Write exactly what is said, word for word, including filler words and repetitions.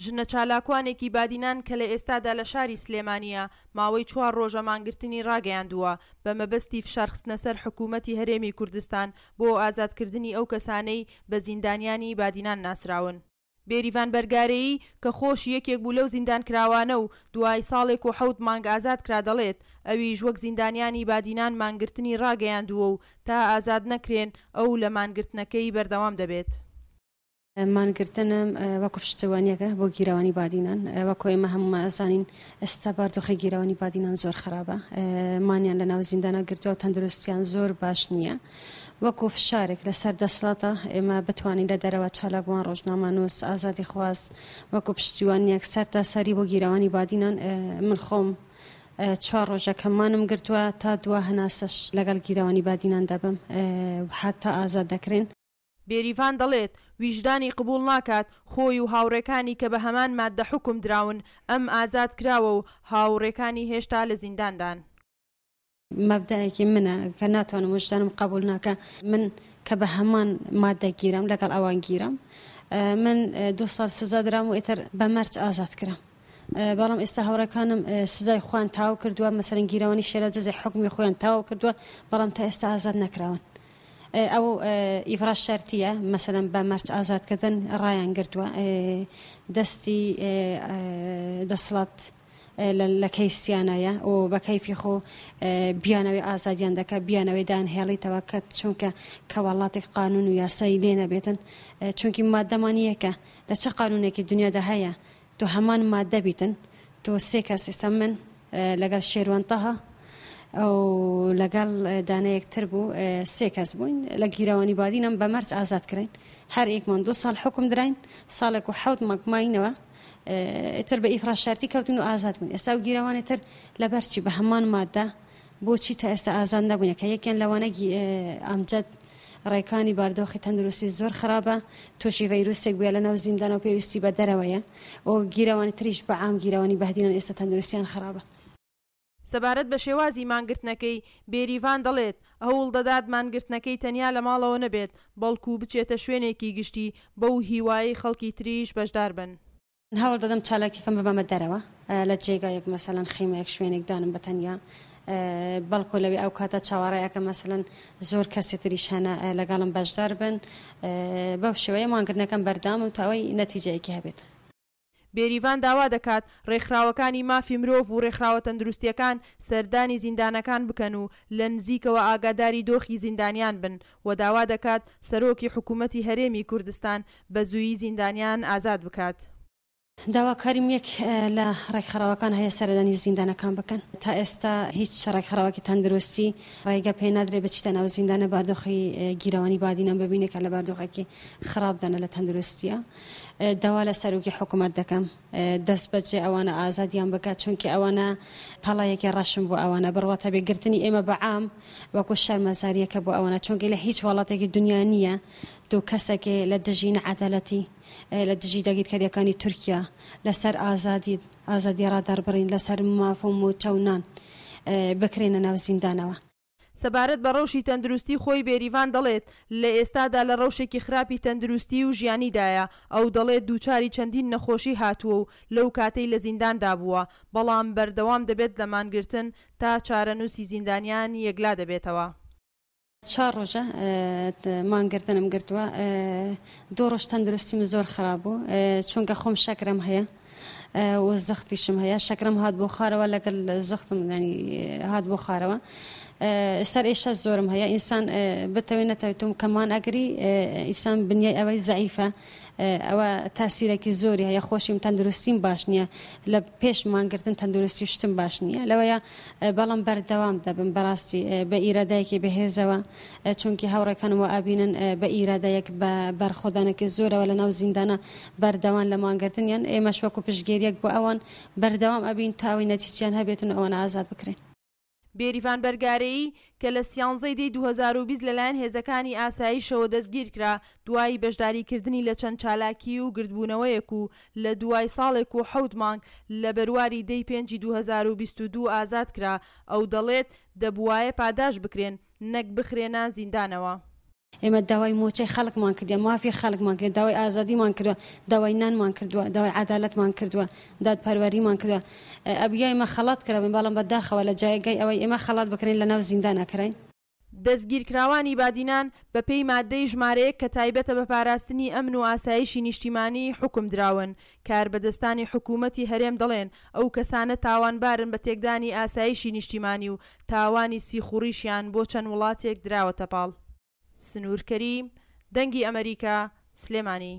ژنە چالاکوانێکی بادینان کە لە ئێستادا لە شاری سلێمانییە، ماوەی چوار ڕۆژە مانگرتنی ڕاگەیاندووە بە مەبەستی فشارخستنەسەر حکوومەتی هەرێمی کوردستان بۆ ئازادکردنی ئەو کەسانەی بە زیندانیانی بادینان ناسراون. بێریڤان بەرگارەیی کە خۆشی یەکێک بوو لەو زیندانکراوانە و دوای ساڵێک و حەوت مانگ ئازادکرا دەڵێت، ئەویش وەک زیندانیانی بادینان مانگرتنی ڕاگەیاندووە و تا ئازاد نەکرێن ئەو لە مانگرتنەکەی بەردەوام دەبێت. مانگرتنم وەکو پشتیوانیەکە بۆ گیرەوانی بادینان، وەکو ئێمە هەمومان ئەزانین ئێستا باردۆخی گیرەوانی بادینان زۆر خراپە، مانیان لە ناو زیندانە گرتووە و تەندروستیان زۆر باش نییە. وەکو فشارێک لەسەر دەسەڵاتە ئێمە بتوانین لە دەرەوە چالاکوان، ڕۆژنامەنووس، ئازادیخواز وەکو پشتیوانیەک سەرتاسەری بۆ گیرەوانی بادینان. من خۆم چوار ڕۆژەکە مانم گرتووە تا دوا هەناسەش لەگەڵ گیرەوانی بادینان دەبم حتا ئازاد دەکرێن. بێریڤان دەڵێت، ویژدانی قبوڵ ناکات خۆی و هاوڕێکانی کە بە هەمان ماددە حوکم دراون، ئەم ئازاد کراوە و هاوڕێکانی هێشتا لە زینداندان. مەبدەئێکی منە کە ناتوانم ویژدانم قبول ناکە من کە بە هەمان مادە گیرم لەگەڵ ئەوان گیرم. من دوو ساڵ سزا درام و ئیتر بە مەرج ئازاد کرام. بەڵام ئێستا هاوڕێکانم سزای خۆیان تەواو کردووە، مەسەلەن گیرەوانی شێلادزێ حوکمی خۆیان تەواو کردووە، بەڵام تا ئێستا ئازاد نەکراون. ئەو ئیفراش شەرتیە مەسەلەن بە مەرج ئازادکردن ڕایان گرتووە، دەستی دەسەڵات لە کەیسیانایە و بە کەیفی خۆ بیانەوەی ئازادیان دەکە، بیانەوەی دانهێڵیتەوە کە چونکە کە وڵاتێک قانون و یاسایی لێ نەبێتن، چونکی مادەمان یەکە لە چه قانونێکی دنیادا هەیە تۆ هەمان مادە بیتن، تۆ سێ کەس ئێستا من لەگەڵ شێروان تەها ئەو لەگەڵ دانەیەکتر بوو سێ کەس بووین لە گیرەوانی بادینم بە مەرج ئازاد کراین. هەر یەکمان دوو ساڵ حکم دراین، ساڵێک و حەوت مانگ ماینەوە، ئیتر بە ئیفراش شەرتی کەوتن و ئازاد بوون. ئێستا و گیرەوانی تر لەبەرچی بە هەمان مادە بۆچی تا ئێستا ئازاد نەبوونە کە یەکیان لەوانە ئەمجەد ڕێکانی باردۆخی تەندروستی زۆر خراپە، تووشی ڤەیروسێک بووە لە ناو زیندانەوە پێویستی بە دەرەوەیە و گیرەوانی تریش بە عام گیرەوانی بەهدینان ئێستا تەندروستیان خراپە. سەبارەت بە شێوازی مانگرتنەکەی بێریڤان دەڵێت، هەوڵ دەدات مانگرتنەکەی تەنیا لە ماڵەوە نەبێت، بەڵکو بچێتە شوێنێکی گشتی بەو هیوایەی خەڵکی تریش بەشدار بن. هەوڵ دەدەم چالاکیەکەم ببەمە دەرەوە لە جێگایەک، مەسەلەن خیمەیەک شوێنێک دانم بە تەنیا، بەڵکو لەوێ ئەو کاتە چاوەڕێیەکە مەسەلەن زۆر کەسی تریش هەنە لەگەڵم بەشدار بن. بەو شێوەیە مانگرتنەکەم بەردەوامم تا ئەوەی نەتیجەیەکی هەبێت. بێریڤان داوا دەکات ڕێکخراوەکانی مافی مرۆڤ و ڕێکخراوە تەندروستیەکان سەردانی زیندانەکان بکەن و لە نزیکەوە ئاگاداری دۆخی زیندانیان بن و داوا دەکات سەرۆکی حکوومەتی هەرێمی کوردستان بە زوویی زیندانیان ئازاد بکات. داواکاریم یەک لە ڕێکخراوەکان هەیە سەردانی زیندانەکان بکەن. تا ئێستا هیچ ڕێکخراوەکی تەندروستی ڕێگە پێ نادرێت بچیتە ناو زیندانە باردۆخی گیرەوانی بادینان ببینێت کە لە باردۆخێکی خراپدانە لە تەندروستیە. داوا لە سەرۆکی حکوومەت دەکەم دەست بەجێ ئەوانە ئازادیان بکات، چونکە ئەوانە پەڵایەکی ڕەشم بۆ ئەوانە بڕواتە بێگرتنی ئێمە بە عام وەکو شەرمەزاریەکە بۆ ئەوانە، چونکە لە هیچ وڵاتێکی دنیا نییە دوو کەسێکی لە دژی نەعەدالەتی لە دژی داگیرکاریەکانی تورکیا لەسەر ئازادی ئازادی ڕادەربڕین لەسەر ماف و موچە و نان بکرێنە ناو زیندانەوە. سەبارەت بە ڕەوشی تەندروستی خۆی بێریڤان دەڵێت، لە ئێستادا لە ڕەوشێکی خراپی تەندروستی و ژیانیدایە. ئەو دەڵێت دووچاری چەندین نەخۆشی هاتووە و لەو کاتەی لە زینداندا بووە، بەڵام بەردەوام دەبێت لە مانگرتن تا چارەنووسی زیندانیان یەکلا دەبێتەوە. چوار ڕۆژە مانگرتنم گرتووە، دوو ڕۆژ تەندروستیم زۆر خراپ بوو، چونکە خۆم شەکرم هەیە و زەختیشم هەیە. شەکرم هات بۆ خارەوە لەگەڵ زەختم ینی هات بۆ خارەوە، سەر ئێشە زۆرم هەیە. ئینسان بتەوێت نەتەوێتم کەمان ئەگری ئینسان بنیای ئەوەی زەعیفە، ئەوە تاسیرێکی زۆری هەیە. خۆشیم تەندروستیم باش نییە، لە پێش مانگرتن تەندروستی شتم باش نییە لەوەیە، بەڵام بەردەوام دەبم بەڕاستی بە ئیرادەیەکی بەهێزەوە، چونکی هاوڕێکانم وە ئابینن بە ئیرادەیەک بە بەرخۆدانێکی زۆرەوە لە ناو زیندانە بەردەوام لە مانگرتنیان. ئێمەش وەکو پشتگیریەک بۆ ئەوان بەردەوام ئەبین تا ئەوەی نەتیجەیان هەبێتن و ئەوانە ئازاد بکرێن. بێریڤان بەرگارەیی کە لە سیانزەی دەی دوو هەزار و بیست لەلایەن هێزەکانی ئاسایشەوە دەستگیرکرا دوای بەشداریکردنی لە چەند چالاکی و گردبوونەوەیەک و لە دوای ساڵێک و حەوت مانگ لە بەرواری دەی پێنجی دوو هەزار و بیست و دوو ئازاد کرا، ئەو دەڵێت دەبوایە پاداش بکرێن نەک بخرێنە زیندانەوە. ئێمە داوای مووچەی خەڵکمان کردیە، مافی خەڵکمان کردیە، داوای ئازادیمان کردووە، داوای نانمان کردووە، داوای عەدالەتمان کردووە، دادپەروەریمان کردووە. ئەبویا ئێمە خەڵات کرابین، بەڵام بە داخەوە لە جێگای ئەوەی ئێمە خەڵات بکرێین لە ناو زیندان ئەکرێین. دەستگیرکراوانی بادینان بەپێی ماددەی ژمارە یەک کە تایبەتە بە پاراستنی ئەمن و ئاسایشی نیشتیمانی حوکم دراون. کاربەدەستانی حکومەتی هەرێم دەڵێن ئەو کەسانە تاوانبارن بە تێکدانی ئاسایشی نیشتیمانی و تاوانی سیخوڕیشیان بۆ چەند وڵاتێک دراوەتە پاڵ. سنوور کەریم، دەنگی ئەمەریکا، سلێمانی.